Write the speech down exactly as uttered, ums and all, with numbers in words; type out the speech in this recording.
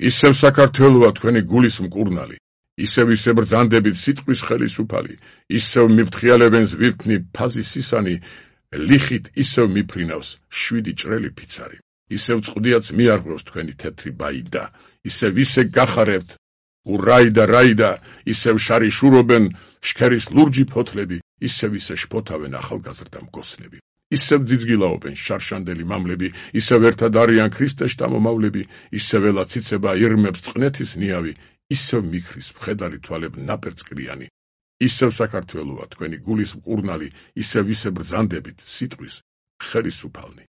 ისევ საქართველოა თქვენი გულის მკურნალი, ისევ ისე ბრძანდებით სიტყვის ხელისუფალი, ისევ მიფრთხიალებენ ზვირთნი ფაზი სისანი, ლიხით ისევ მიფრინავს შვიდი ჭრელი ფიცარი, ისევ წყდიაც მიარღვევს თქვენი თეთრი ბაიდა, ისევ ისე გახარებთ, ურაიდა რაიდა, ისევ შარი შურობენ შქერის ლურჯი ფოთლები, ისევ ისე შფოთავენ ახალგაზრდა მგოსნები. ისევ ძიძგილაობენ შარშანდელი მამლები, ისევ ერთად არიან ქრისტეშთა მომავლები, ისევ ელაც იცება ირმებს წყნეთის ნიავი, ისევ მიქრის მხედარი თვალებ ნაპერწკრიანი, ისევ საქართველოა თქვენი გულის მკურნალი, ისევ ისე ბრძანდებით სიტყვის ხელისუფალნი.